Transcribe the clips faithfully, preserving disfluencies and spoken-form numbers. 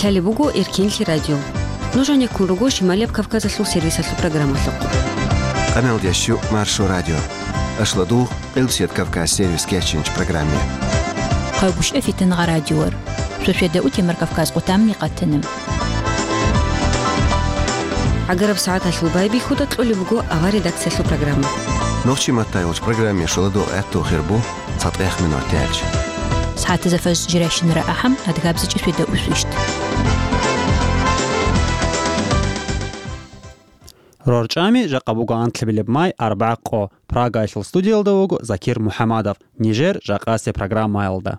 Лъалеб буго Эркенлъи радио. Нуж гьанеккун руго Шималияб Кавказалъул сервисалъул программалъухъ. Къаналдящу Маршо радио. Ашладу Къилсият Кавказ сервис кечинч программе. Къайгушев Фитангъа радиор. Шошведа утемар Кавказ къутамни къатанам. ГӀагараб сагӀаталъул байбихьуда кьолеб буго авар редакциялъул программа. Нохчи маттайулч программе шуладу гӀатту хирбу цатӀех минут тяч. СагӀатаза фаз жиращинара ахӀам адгабзичӀи шведа усвищт. РорчӀами жакъа буго анлъабилеб май арбагӀа къо. Прагаялъул студиялда вуго Закир МухӀамадов, нижер жакъасеб программаялда.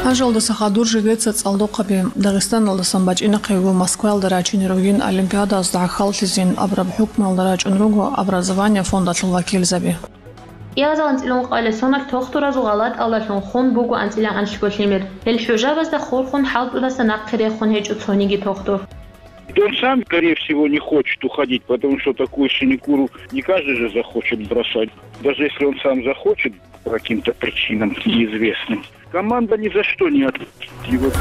Ажалдаса хадур жидеца цӀалдохъаби. Дагъистаналдасан бачӀинахъего Москваялда рачине ругин олимпиадазда гӀахьаллъизин абураб хӀукмуялда рачӀун руго образование фондалъул вакилзаби. Кьиязал анцӀила ункъоялда соналъ тохтуразул гъалатӀалдалъун хун буго анцӀила анлъго лъимер. Гьел хӀужабазда хурхун хӀалтӀудаса нахъе рехун гьечӀо цониги тохтур. Он сам, скорее всего, не хочет уходить, потому что такую синекуру не каждый же захочет бросать. Даже если он сам захочет, по каким-то причинам неизвестным, команда ни за что не отпустит его.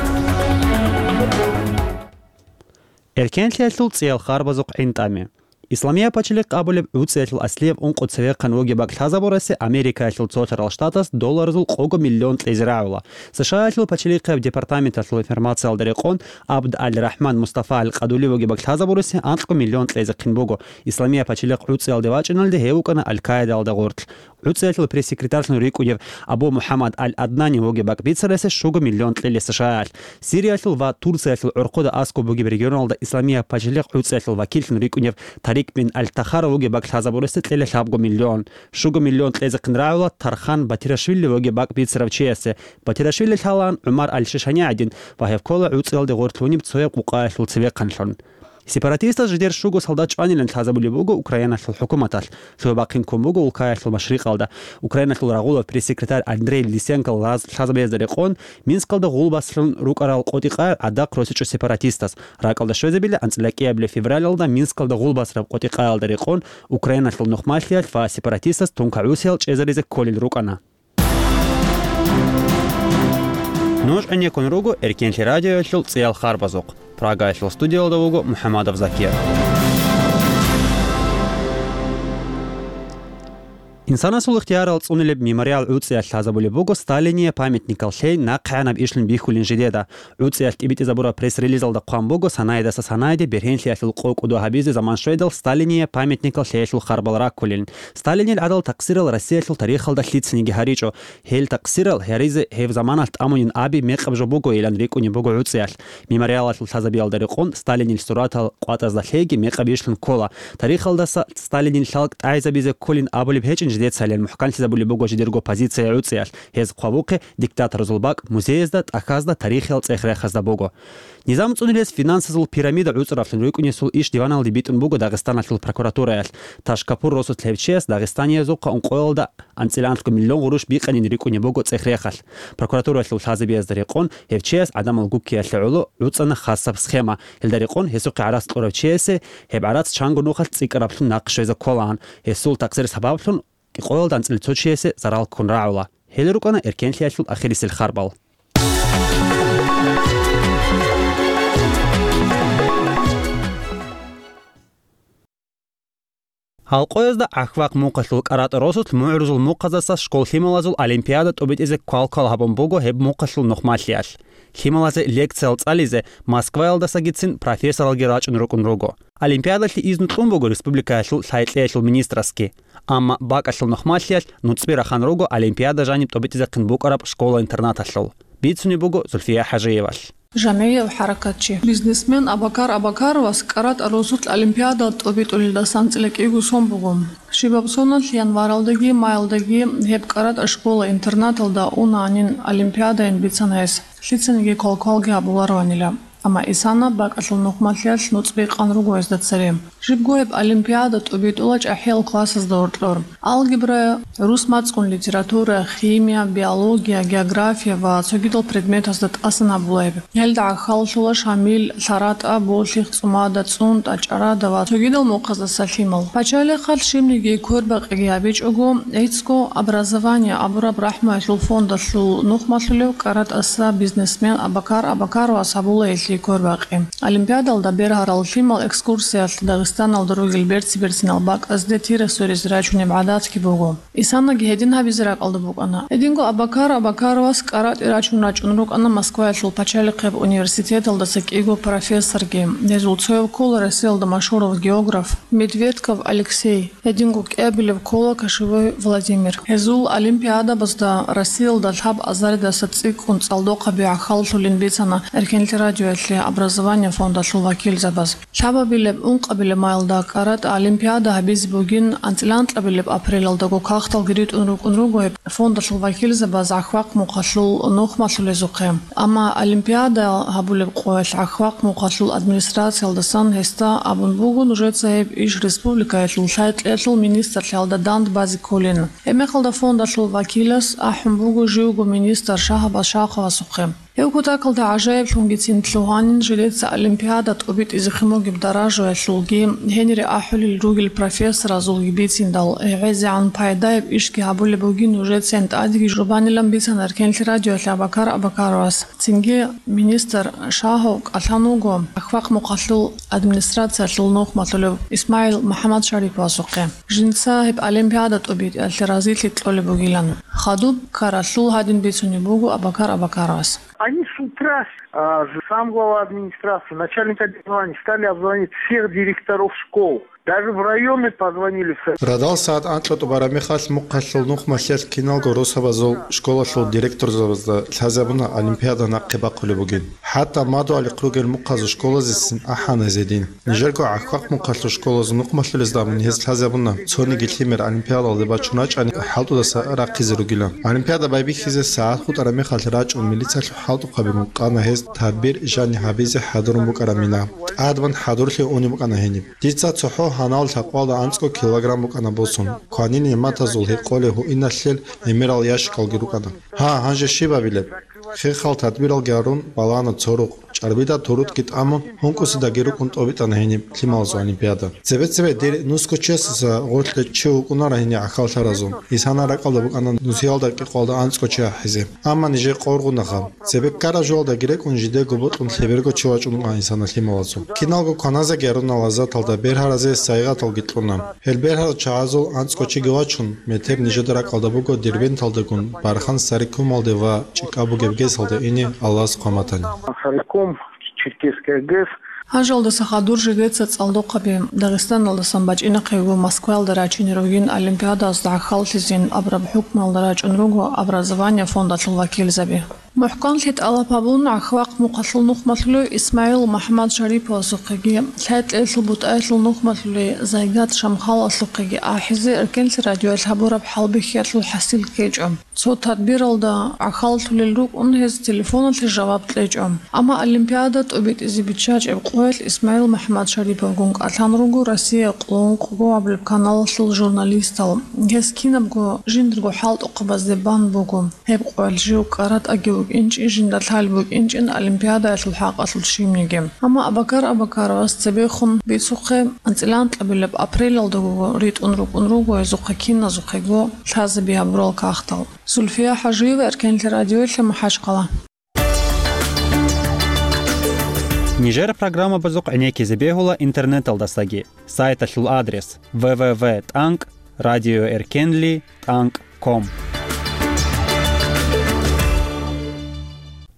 Эркенлъиялъул цӀиял харбазухъ гӀинтӀами. Исламияб пачалихъ абулеб гӀуцӀиялъул аслияб ункъо цевехъан вугеб бакӀ лъазабурасе Америкаялъул цолъарал штатас долларзул къого миллион кьезе рагӀула. СШАялъул пачалихъияб департаменталъул информациялда рекъон, Абд аль-Рахман Мустафа аль-Къадули вугеб бакӀ лъазабурасе анкьго миллион кьезехъин буго. Исламияб пачалихъ гӀуцӀиялде вачӀиналде гьев вукӀана Аль-Каидаялда гъорлъ. ГӀуцӀиялъул пресс-секретарьлъун рикӀкӀунев Абу МухӀаммад аль-Аднани вугеб бакӀ бицарасе щуго миллион кьела СШАялъ. Сириялъул ва Турциялъул гӀорхъуда аскӀоб бугеб регионалда Исламияб пачалихъ гӀуцӀиялъул вакиллъун рикӀкӀунев Тарик бин аль-Тахара вугеб бакӀ лъазабурасе кьела лъабго миллион. Щуго миллион кьезехъин рагӀула Тархан Батирашвили вугеб бакӀ бицарав чиясе. Батирашвили лъалаан ГӀумар аль-Шишани гӀадин ва гьев ккола гӀуцӀиялде гъорлъ гьуниб цояб къукъаялъул цевехъанлъун. Сепаратистас жидер щуго солдат чӀванилан лъазабулеб буго Украиналъул хӀукуматалъ, лъугьа-бахъин ккун буго улкаялъул машрикъалда. Украиналъул рагъулав пресс-секретарь Андрей Лисенко лаз-, лъазабиязда рекъон, Минскалда гъулбасалъун рукӀарал къотӀи-къай гӀадахъ росичӀо сепаратистас. РакӀалда щвезабила анцӀила кӀиабилеб февралалда Минскалда гъулбасараб къотӀи-къаялда рекъон, Украиналъул нухмалъиялъ ва сепаратистас тункагӀусиял чӀезаризе кколел рукӀана. Нуж гӀенеккун руго Эркенлъи радиоялъул цӀиял харбазухъ. Прагаялъул студиялда вуго МухӀаммадов Закир. Инсанасул ихтиярал цӀунилеб мемориал гӀуцӀиялъ лъазабулеб буго Сталиния памятникал лъей нахъегӀанаб ишлъун бихьулин жидеда. ГӀуцӀиялъ тӀибитӀизабураб пресс-релизалда хъван буго, санаидаса санаиде бергьенлъиялъул къо-кӀудо гьабизе заман щведал Сталиния памятникал лъеялъул харбал раккулин. Сталинил гӀадал такъсирал Россиялъул тарихалда лъицаниги гьаричӀо. Гьел такъсирал гьаризе гьеб заманалъ тӀамунин аби мекъаб жо бугойилан рикӀкӀунеб буго гӀуцӀиялъ. Мемориалалъул лъазабиялда рекъон Сталинил суратал къватӀазда лъейги мекъаб ишлъун ккола. Тарихалдаса Сталинил лъалкӀ тӀагӀизабизе кколин абулеб гьечӀин жидецайилан мухӀканлъизабулеб буго жидерго позиция гӀуцӀиялъ. Гьез хъвабухъе диктаторазул бакӀ музеязда, тӀахьазда, тарихиял цӀех-рехазда буго. Низам цӀунилес финансазул пирамида гӀуцӀаравлъун рукӀунесул иш диваналде битӀун буго Дагъистаналъул прокуратураялъ. Ташкапур росулъ гьев чияс дагъистаниязухъа ункъоялда анцӀила анлъго миллион гъурущ бикъанин рикӀкӀунеб буго цӀех-рехалъ. Прокуратуралъул лъазабиязда рекъон гьев чияс гӀадамал гуккиялъе гӀоло гӀуцӀана хасаб схема. Гьелда рекъон гьесухъе гӀарац кьурав чиясе гьеб гӀарац чанго нухалъ цӀикӀкӀараблъун нахъ щвезе кколаан. Гьесул такъсир сабаблъун кӀикъоялда анцӀила цо чиясе зарал ккун рагӀула. Гьел рукӀана эркенлъиялъул ахирисел харбал. Гьалкъоязда ГӀахьвахъ мухъалъул КӀаратӀа росулъ мугӀрузул мухъаздаса школ-лъималазул олимпиада тӀобитӀизе квалквал гьабун буго гьеб мухъалъул нухмалъиялъ. Лъималазе лекциял цӀализе Москваялдасагицин профессоралги рачӀун рукӀун руго. Олимпиадалъе изну кьун буго республикаялъул лъай-кьеялъул министрасги. Амма бакӀалъул нухмалъиялъ нуцӀби рахан руго олимпиада жаниб тӀобитӀизехъин букӀараб школа-интернаталъул. Бицунеб буго Зульфия ХӀажиевалъ. Жамигьев хӀаракатчи, бизнесмен Абакар Абакаровас КӀаратӀа росулъ олимпиада тӀобитӀулелдасан анцӀила кӀиго сон буго. Щибаб соналъ январалдаги маялдаги гьеб КӀаратӀа школа-интернаталда унаанин олимпиадайин бицана гьес, лъицаниги квалквалги гьабулароанила. Амма Исана бакӀалъул нухмалъиялъ нуцӀби къан руго гьезда цере. Жибго гьеб олимпиада тӀубитӀула чӀахӀиял классазда гьоркьор. Алгебра, рус мацӀгун литература, химия, биология, география ва цогидал предметазда тӀасан гьабула гьеб. Гьелда гӀахьаллъула Шамил, ЛъаратӀа, Болъих, ЦӀумада, ЦӀунтӀа, ЧӀарада ва цогидал мухъаздаса лъимал. Пачалихъалъ щибниги квербакъиги гьабичӀого, гӀицӀго «Образование» абураб рахӀмуялъул фондалъул нухмалъулев КӀаратӀаса бизнесмен Абакар Абакаровас гьабула гьелъие квербакъи. Олимпиадалда бергьарал лъимал экскурсиялъ Дагъистаналда ругел берци-берцинал бакӀазде тира-соризе рачунеб гӀадатги буго. Исанаги гьедин гьабизе ракӀалда букӀана. Гьединго Абакар Абакаровас КӀаратӀе рачун рачӀун рукӀана Москваялъул пачалихъеб университеталдаса кӀиго профессорги. Гьезул цояв ккола Россиялда машгьурав географ Медведков Алексей. Гьединго кӀиабилеб ккола Кошевой Владимир. Гьезул олимпиадабазда Россиялда лъаб азаридаса цӀикӀкӀун цӀалдохъаби гӀахьаллъулин бицана Эркенлъи радиоялъе «Образование» фондалъул вакилзабаз. Лъабабилеб, ункъабилеб майилда КӀаратӀа олимпиада гьабизе бугин, анцӀила анкьабилеб апрелалдаго кагъталги ритӀун рукӀун руго гьеб фондалъул вакилзабаз ГӀахьвахъ мухъалъул нухмалъулезухъе. Амма олимпиада гьабулеб къоялъ ГӀахьвахъ мухъалъул администрациялдасан гьесда абун буго нужеца гьеб иш республикаялъул лъай-кьеялъул министрлъиялда дандбазе кколин. Гьебмехалда фондалъул вакилас ахӀун буго живго министр Шагьабаз Шаховасухъе. Гьев кутакалда гӀажаиблъунгицин лъугьанин жидеца олимпиада тӀубитӀизехъин бугеб даражаялъулги, гьенире ахӀулел ругел профессоразулги бициндал, гӀезегӀан пайдаяб ишги гьабулеб бугин нужецайин тӀадеги жубанилан бицана Эркенлъи радиоялъе Абакар Абакаровас. Цинги министр Шагьов кӀалъан вуго ГӀахьвахъ мухъалъул администрациялъул нухмалъулев ИсмагӀил МухӀаммадшариповасухъе. Жинца гьеб олимпиада тӀубитӀиялъе разилъи кьолеб бугилан. Хадуб ккаралъул гьадин бицунеб буго Абакар Абакаровас. Они с утра, а, сам глава администрации, начальник образования стали обзванивать всех директоров школ. Даже в районы позвонили все. Радал сагӀат анкьа тӀубараб мехалъ мухъалъул нухмалъиялъ киналго росабазул школалъул директорзабазда лъазабуна олимпиада нахъе бахъулеб бугин. ХӀатта мадугьалихъ ругел мухъазул школазесин ахӀана гьез гьедин. Нижерго ГӀахьвахъ мухъалъул школазул нухмалъулезда абуни гьез лъазабуна, цониги лъимер олимпиадалде бачун рачӀани хӀалтӀудаса рахъизе ругилан. Олимпиада байбихьизе сагӀат хутӀараб мехалъ рачӀун милициялъул хӀалтӀухъабигун къана гьез тадбир жани гьабизе хӀадурун букӀараб мина. ТӀадбан хӀадурлъи унеб букӀана гьениб. Дица цохӀо гьанал лъабкъоялда анцӀго килограмм букӀана босун. Кванин нигӀматазул гьекъолеб гьуиналъел гӀемерал ящикалги рукӀана. Гьа, гьанже щиб абилеб? Хехал тадбиралги гьарун, балагьана цо рукъ. ЧӀарбида турутги тӀамун, гьункӀусидаги рукӀун тӀобитӀана гьениб лъималазул олимпиада. Цебе-цебе дир нусго чиясаса гъорлъе чи вукӀунара гьениб гӀахьаллъаразул. Исана ракӀалда букӀана нусиялда кӀикъоялда анцӀго чи ахӀизе. Амма нижер къоргъунаха. Цебе ккараб жоялдаги рекӀун жидего бокьун лъеберго чи вачӀун вукӀана исана лъималазул. Киналго кваназеги гьаруна лаззаталда, бергьаразе сайигъаталги кьуна. Гьел бергьарал чагӀазул анцӀго чиги вачун, метер нижеда ракӀалда буго Дербенталдагун Бархан Сарикумалде ва чӀикӀаб бугеб гесалда ине Аллагьас хъван батани. Сарикум, Черкесская ГЭС. Гьанжалдаса хадур жидеца цӀалдохъаби Дагъистаналдасан бачӀинахъего Москваялда рачине ругин олимпиадазда гӀахьаллъизин абураб хӀукмуялда рачӀун руго «Образование» фондалъул вакилзаби. МухӀканлъи тӀалаб гьабун, ГӀахьвахъ мухъалъул нухмалъулев ИсмагӀил МухӀаммадшариповасухъеги, лъай-кьеялъул бутӀаялъул нухмалъулей Зайгат Шамхаловасухъеги ахӀизе Эркенлъи радиоялъ гьабураб хӀалбихьиялъул хӀасил ккечӀо. Цо тадбиралда гӀахьаллъулел рукӀун гьез телефоналъе жаваб кьечӀо. Амма олимпиада тӀубитӀизе биччачӀеб къоялъ ИсмагӀил МухӀаммадшариповгун кӀалъан руго Россия къоло ункъго абулеб каналалъул журналистал. Гьес кинабго жиндирго хӀалтӀухъабазде бан буго. Гьеб къоялъ жив КӀаратӀаги вукӀинчӀин, жинда лъалеб букӀинчӀин олимпиадаялъул хӀакъалъулъ щибниги. Амма Абакар Абакаровас цебехун бицухъе, анцӀила анкьабилеб апрелалдаго ритӀун рукӀун руго гьезухъе киназухъего лъазаби гьабурал кагътал. Зульфия ХӀажиева, Эркенлъи радиоялъе, МахӀачхъала. Нижер программабазухъ гӀенеккизе бегьула интернеталдасаги. Сайталъул адрес: в в в тӀанкӀ радиоэркенли тӀанкӀ ком.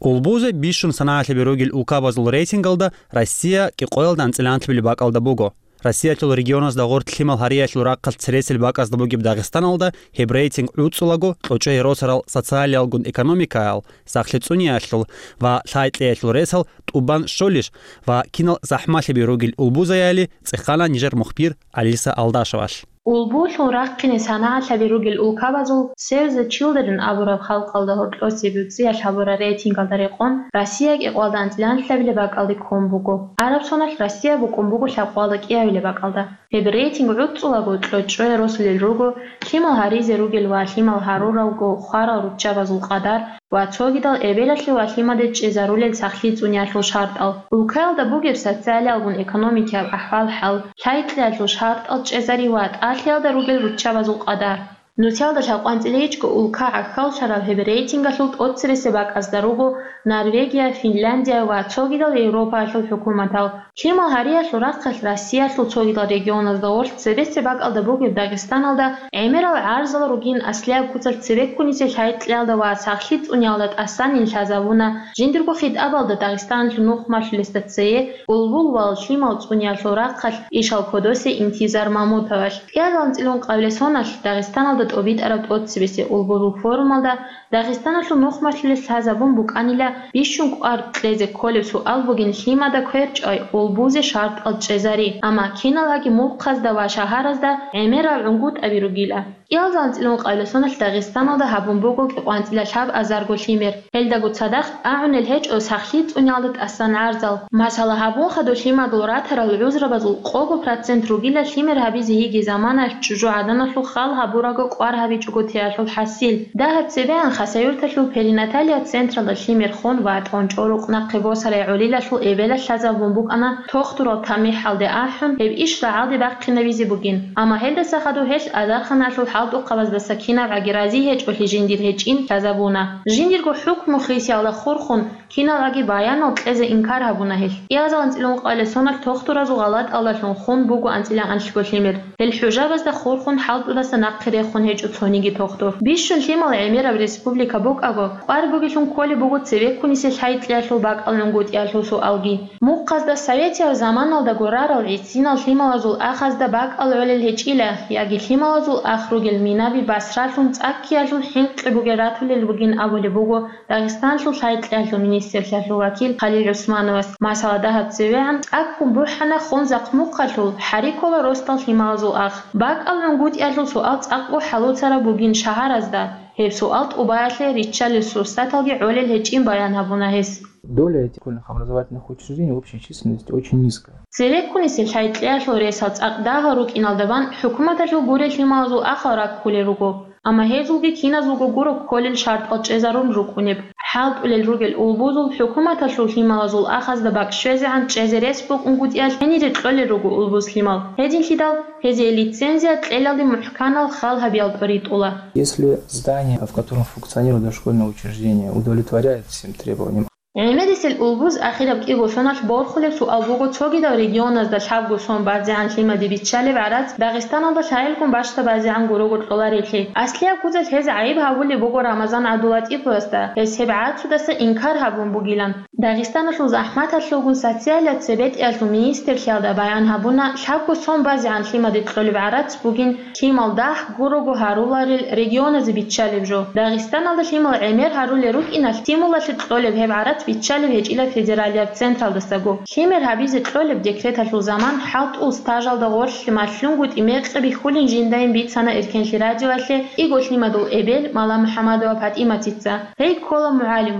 Улбузе бищун санагӀалъаби ругел улкабазул рейтингалда Россия кӀикъоялда анцӀила анлъабилеб бакӀалда буго. Россиялъул регионазда гъоркь лъимал гьариялъул рахъалъ цересел бакӀазда бугеб Дагъистаналда гьеб рейтинг гӀуцӀулаго кьучӀей росарал социалиялгун экономикаял, сахлъи цӀуниялъул ва лъай-кьеялъул ресал тӀубан щолищ ва кинал захӀмалъаби ругел улбузаяли цӀехана нижер мухбир Алиса Алдашевалъ. Улбулъул рахъине санагӀатлъаби ругел улкабазул Save the Children абураб халкъалда гьоркьосе буцӀиялъ гьабураб рейтингалда рекъон, Россия кӀикъоялда анцӀила анлъабилеб бакӀалде ккун буго. Гьаб соналъ Россия букӀун буго лъабкъоялда кӀиабилеб бакӀалда. Гьеб рейтинг гӀуцӀулаго кьочӀое росулел руго лъимал гьаризе ругел ва лъимал гьаруравго хварал руччабазул къадар ва цогидал эбелалъе ва лъимаде чӀезарулел сахлъи цӀуниялъул шартӀал, улкаялда бугеб социалиялгун экономикияб ахӀвал-хӀал, лъай-кьеялъул шартӀал чӀезари ва тӀалъиялда ругел руччабазул къадар. Нусиялда лъабкъоялда анцӀила гьечӀго улка гӀахьаллъараб гьеб рейтингалъул тӀоцебесеб бакӀазда руго Норвегия, Финляндия ва цогидал Европаялъул хӀукуматал. Лъимал гьариялъул рахъалъ Россиялъул цогидал регионазда гъорлъ цебесеб бакӀалда бугеб Дагъистаналда гӀемерал гӀарзал ругин аслияб куцалъ цебеккунисел лъай-кьеялда ва сахлъи цӀуниялда тӀасанин лъазабуна жиндирго хитӀабалда Дагъистаналъул нухмалъулесда цее улбул ва лъимал цӀуниялъул рахъалъ ишал кодосе Интизар Мамутовалъ. КӀиабилеб анцӀила ункъабилеб соналъ Дагъистаналда тӀобитӀараб тӀоцебесеб улбулул форумалда Дагъистаналъул нухмалъулес лъазабун букӀанила бищун кӀвар кьезе кколеб суал бугин лъимада кверчӀай улбузе шартӀал чӀезари, амма киналгӀаги мухъазда ва шагьаразда гӀемерал гӀунгутӀаби ругила. КӀиабилеб анцӀила ункъабилеб соналъ Дагъистаналда гьабун буго кӀикъоялда анцӀила лъабазарго лъимер. Гьелдаго цадахъ агӀунел гьечӀо сахлъи цӀуниялда тӀасан гӀарзал. Масала, гьабун хадуб лъимадул ратарал гӀузрабазул къого процент ругила лъимер гьабизе йиги заманаялъ чӀужугӀаданалъул хал гьабурабго кӀвар гьабичӀого теялъул хӀасил. Дагьаб цебегӀан Хасавюрталъул перинаталияб централда лъимер хун ватӀун чӀорукъ нахъе босарай гӀолилалъул эбелалъ лъазабун букӀана тохтурал тамихӀалде ахӀун, гьеб иш рагӀалде бахъинабизе бугин. Амма гьелдаса хадуб гьелъ азарханалъул хӀалтӀухъабаздаса кинабгӀаги рази гьечӀолъи жиндир гьечӀин лъазабуна. Жиндирго хӀукму хисиялда хурхун, киналгӀаги баянал кьезе инкар гьабуна гьелъ. КӀиабилеб анцӀила ункъабилеб соналъ тохтуразул гъалатӀалдалъун хун буго анцӀила анлъго лъимер. Гьел хӀужабазда хурхун хӀалтӀудаса нахъе рехун гьечӀо цониги тохтур. Бищун лъимал гӀемераб республика букӀаго, кӀвар бугелъун кколеб буго цебеккунисел лъай-кьеялъул бакӀал гӀунгутӀиялъул суалги. Мухъазда советияб заманалдаго рарал гӀисинал лъималазул ахазда бакӀал гӀолел гьечӀила, яги лъималазул ах ругел минаби басралъун цӀаккиялъул хӀинкъи бугел ратулел бугин абулеб буго Дагъистаналъул лъай-кьеялъул министрлъиялъул вакил Халил ГӀусмановас. Масала, дагьаб цевегӀан цӀаккун бухӀана хун захъмухъалъул, хӀари ккола росдал лъималазул ах. БакӀал гӀунгутӀиялъул суал цӀакъго хӀалуцараб бугин шагьаразда. Гьеб суал тӀубаялъе риччалел сурсаталги гӀолел гьечӀин баян гьабуна гьес. Доля этих школьных образовательных учреждений в общей численности очень низкая. Цебеккунисел лъай-кьеялъул ресал цӀакъ дагьал рукӀиналда бан хӀукуматалъул гурел лъималазул ахал раккулел руго, амма гьезулги киназулго гуро кколел шартӀал чӀезарун рукӀунеб. ХӀалтӀулел ругел улбузул хӀукуматалъул лъималазул ахазда бакӀ щвезегӀан чӀезе рес букӀунгутӀиялъ гьенире кьолел руго улбуз лъимал. Гьединлъидал гьезие лицензия кьелалде мухӀканал хал гьабиялда ритӀула. Если здание, в котором функционирует дошкольное учреждение, удовлетворяет всем требованиям, ГӀемерисел улбуз ахираб кӀиго соналъ борхулеб суал буго цогидал регионазда лъабго сон базегӀан лъимаде биччалеб гӀарац Дагъистаналда лъагӀелгун бащдабазегӀан гурого кьоларелъи. Аслияб куцалъ гьез гӀайиб гьабулеб буго Рамазан ГӀабдулатӀиповасда, гьес гьеб гӀарцудаса инкар гьабун бугилан. Дагъистаналъул захӀматалъулгун социалияб цебетӀиялъул министрлъиялда баян гьабуна, лъабго сон базегӀан лъимаде кьолеб гӀарац бугин лъимал дагь гурого гьаруларел регионазе биччалеб жо. Дагъистаналда лъимал гӀемер гьарулел рукӀиналъ стимулалъе кьолеб гьеб гӀарац биччалеб гьечӀила федералияб централдасаго. Лъимер гьабизе кьолеб декреталъул заман хӀалтӀул стажалда гъорлъ малъунгутӀи мекъи бихьулин жиндайин бицана Эркенлъи радиоялъе кӀиго лъимадул эбел Маламухьамадова ПатӀиматица. Гьей ккола мугӀалим.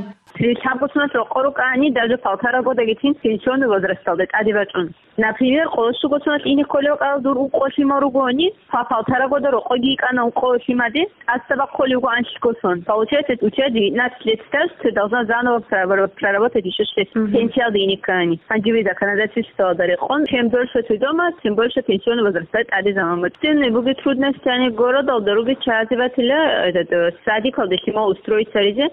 Лъабго соналъ рокъор рукӀани, даже полтора годаги тин пенсионный возрасталда тӀаде бачӀун. Например, къоло щуго соналъ ине кколел кӀал дур укъо лъимал ругони, по полтора года рокъоги йикӀана укъо лъимаде, тӀаса бахъулев вуго анлъго сон. Получается, у тебя девятнадцать лет стаж, ты должна заново проработать ещё шесть. Мгм. Пенсиялде ине ккани. Гьанже законодательствоялда рекъон, чем дольше ты дома, тем больше пенсионный возраст тӀаде заман. Тем буги трудности, они городалда руги чазе батила, этот, э, садикалде лъимал устроиться ризе.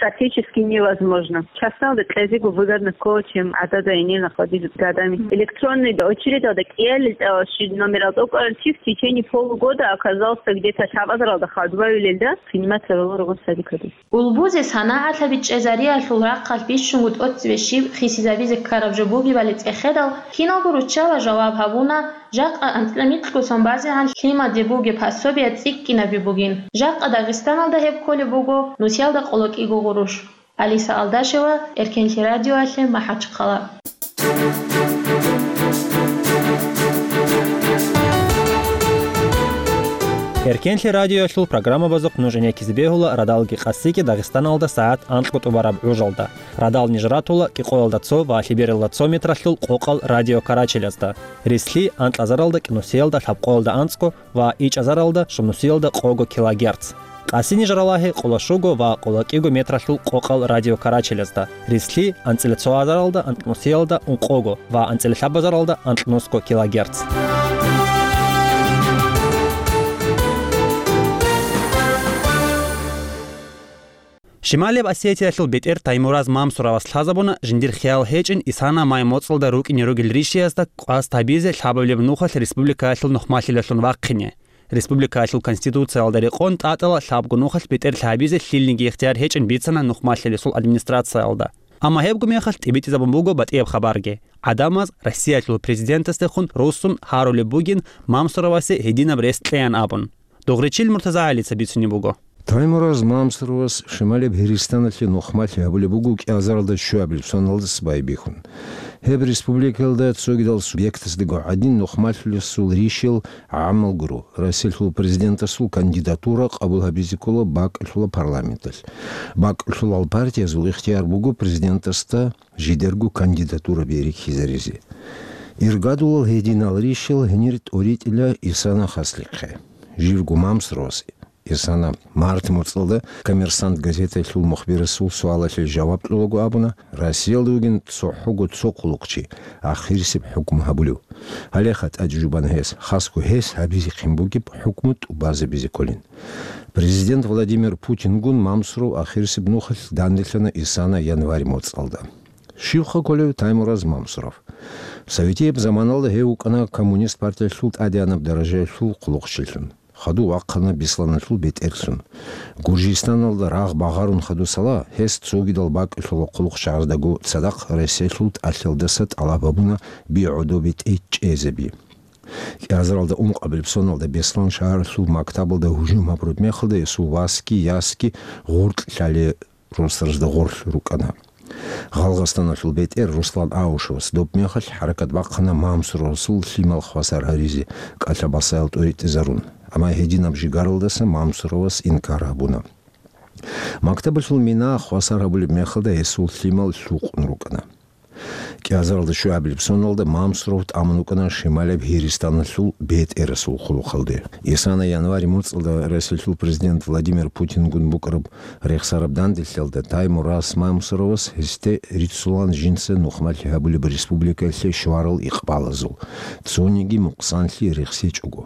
Практически невозможно. Частналда кьезего выгодно ккола, чем гӀадада гьенир находить гадами. Электронный очередалда кӀиялел тӀалаши номерал тӀокӀалъи в течение полугода оказался где-то лъабазаралда хадубавилелда принимать гьарулел ругон садикалде. Улбузе санагӀатлъаби чӀезариялъул рахъалъ бищунго тӀоцебе щиб хисизабизе ккараб жо бугебали цӀехедал, киналго руччабаз жаваб гьабуна, жакъа анцӀила микьго сон базегӀан лъимаде бугеб пособие цӀикӀкӀинаби бугин. Жакъа Дагъистаналда гьеб кколеб буго, нусиялда къоло кӀиго гъурущ. Алиса Алдашева, Эркенлъи радиоялъе, МахӀачхъала. Эркенлъи радиоялъул программабазухъ нуж гӀенеккизе бегьула радалги къасиги Дагъистаналда сагӀат анкьго тӀубараб гӀужалда. Радал ниж ратула кӀикъоялда цо ва лъебералда цо метралъул къокъал радиокарачелазда, рислъи анкьазаралда кӀинусиялда лъабкъоялда анцӀго ва ичӀазаралда щунусиялда къого килогерц. Къаси ниж ралагье къоло щуго ва къоло кӀиго метралъул къокъал радиокарачелазда, рислъи анцӀила цо азаралда анкьнусиялда ункъого ва анцӀила лъабазаралда анкьнусго килогерц. Шималияб Осетиялъул бетӀер Таймураз Мамсуровас лъазабуна жиндир хиял гьечӀин Исана май моцӀалда рукӀине ругел ришиязда къваз гьабизе лъабабилеб нухалъ республикаялъул нухмалъилалъун вахъине. Республикаялъул Конституциялда рекъон тӀатӀала лъабго нухалъ бетӀерлъи гьабизе лъилниги ихтияр гьечӀин бицана нухмалъилесул администрациялда. Амма гьебго мехалъ тӀибитӀизабун буго батӀияб хабарги. ГӀадамаз Россиялъул президентасдехун руссун гьарулеб бугин Мамсуровасе гьединаб рес кьеян абун. Дугъричил МуртазагӀалица бицунеб буго. Таймураз Мамсуровас Шималеб Гьиристаналъе нухмалъи гьабулеб буго кӀиазаралда щуабилеб соналдаса байбихьун. Гьеб республикаялда цогидал субъектасдаго гӀадин нухмалъулесул ришел гӀамал гуро, Россиялъул президентасул кандидатура къабул гьабизе ккола бакӀалъула парламенталъ. БакӀалъулал партиязул ихтияр буго президентасда жидерго кандидатураби рихьизаризе. Иргадулал гьединал ришел гьенир тӀоритӀила Исана хаслихъе. Живго Мамсуровас Исана март моцӀалда «Коммерсант» газеталъул мухбирасул суалалъе жаваб кьолаго абуна, Россиялда вугин цохӀого цо хъулухъчи, ахирисеб хӀукму гьабулев. Гьалеха тӀаде жубана гьес, хасго гьес гьабизехъин бугеб хӀукму тӀубазабизе кколин. Президент Владимир Путингун Мамсуров ахирисеб нухалъ данделъана Исана январь моцӀалда. Щивха кколев Таймураз Мамсуров? Советияб заманалда гьев вукӀана Коммунист партиялъул тӀадегӀанаб даражаялъул хъулухъчилъун. Хадув вахъана Бесланалъул бетӀерлъун. Гуржистаналда рагъ багъарун хадусала, гьес цогидал бакӀалъула хъулухъчагӀаздаго цадахъ Россиялъул тӀалъалдаса тӀалаб гьабуна би гӀодобе тӀечӀезаби. КӀиазаралда ункъабилеб соналда Беслан шагьаралъул мактабалда гьужум гьабураб мехалда гьесул васги ясги гъоркь лъале росдазда гъорлъ рукӀана. Гъалгъастаналъул бетӀер Руслан Аушевас доб мехалъ хӀаракат бахъана Мамсуровасул лъимал хвасар гьаризе, кӀалъа-басаял тӀоритӀизарун, амма гьединаб жигаралдаса Мамсуровас инкар гьабуна. Мактабалъул мина хвасар гьабулеб мехалда гьесул лъимал лъукъун рукӀана. КӀиазаралда щуабилеб соналда Мамсуров тӀамун вукӀана Шималаб Гьиристаналъул бетӀерасул хъулухъалде. Исана январь моцӀалда Россиялъул президент Владимир Путингун букӀараб рехсараб данделъиялда Таймураз Мамсуровас гьесде риццулан жинца нухмалъи гьабулеб республикаялъе щварал икъбалазул цониги мукъсанлъи рехсечӀого.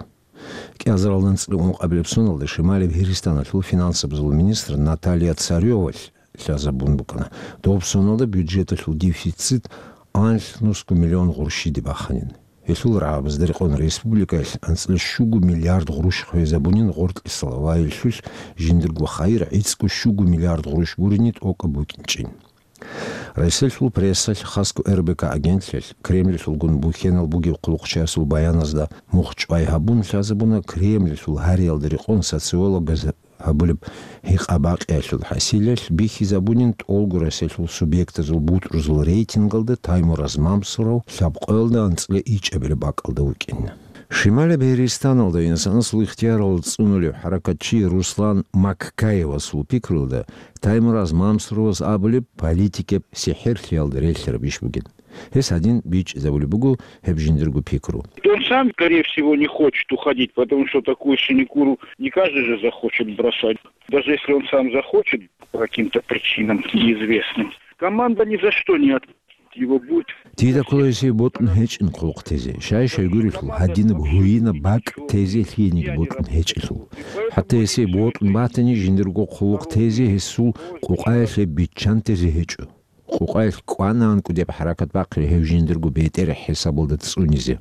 КӀиазаралда анцӀила ункъабилеб соналда Шималаб Гьиристаналъул финансабазул министр Наталья Царёвалъ лъазабун букӀана. Доб соналда бюджеталъул дефицит анлънусго миллион гъурущиде баханин. Гьелъул рагӀабазда рекъон республикаялъ анцӀила щуго миллиард гъурущ хвезабунин гъоркьисал ва гьелъулъ жиндирго хайир гӀицӀго щуго миллиард гъурущ гурине тӀокӀаб букӀинчӀин. Россиялъул прессалъ, хасго Р Б К агентлъиялъ, Кремльалъулгун бухьенал бугеб хъулухъчиясул баяназда мухчӀвай гьабун лъазабуна Кремльалъул гьариялда рекъон социологаз гьабулеб гьикъа-бакъиялъул хӀасилалъ бихьизабунин тӀолго Россиялъул субъектазул бутӀрузул рейтингалда Таймураз Мамсуров лъабкъоялда анцӀила ичӀабилеб бакӀалда вукӀин. Шималаб Гьиристаналда инсанасул ихтиярал цӀунулев хӀаракатчи Руслан Маккаевасул пикруялда, Таймураз Мамсуровас абулеб политикаб сихӀирлъиялда релълъараб иш бугин. Гьес гьадин бичӀчӀизабулеб буго гьеб жиндирго пикру. Он сам, скорее всего, не хочет уходить, потому что такую синекуру не каждый же захочет бросать. Даже если он сам захочет, по каким-то причинам неизвестным, команда ни за что не отпустит его, будет. Дида ккола гьесие бокьун гьечӀин хъулухъ тезе. Щай-щай гурелъул, гьадинаб гьуинаб бакӀ тезе лъиениги бокьун гьечӀелъул. ХӀатта гьесие бокьун батани, жиндирго хъулухъ тезе гьесул къукъаялъе биччан тезе гьечӀо. Къукъаялъ кӀванаанкӀу деб хӀаракат бахъи гьев жиндирго бетӀер хӀисабалда цӀунизе.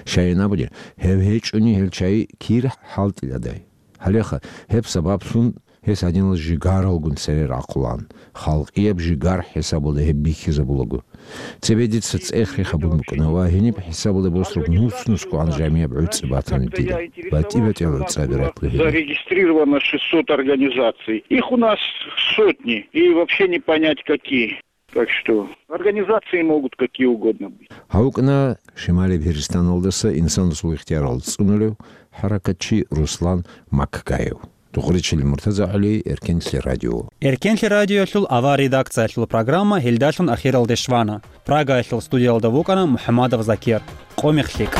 Щайин абуни, гьев гьечӀони гьел чай кир хӀалтӀиладай. Гьалеха, гьеб сабаблъун гьес гьадинал жигаралгун цере рахъулаан, халкъияб жигар хӀисабалда гьеб бихьизабулаго. Цебе дица цӀех рихабун букӀана ва гьениб хӀисабалда босраб нуц-нуцгогӀан жамияб гӀуцӀи батана дида. БатӀи-батӀиял гӀуцӀаби ратла гьениб. Зарегистрировано шестьсот организаций. Их у нас сотни, и вообще не понять какие. Так что организации могут какие угодно быть. Гьавукна Шимали Пирстаналдаса инсанасул ихтиярал цӀунулев хӀаракатчи Руслан Маккаев. Духъричил Муртаза ГӀали, Эркенлъи радио. Эркенлъи радиоялъул авар редакциялъул программа гьелдалъун ахиралде щвана. Прагаялъул студиялда вукӀана МухӀамадов Закир. Къомихъ лъикӀ.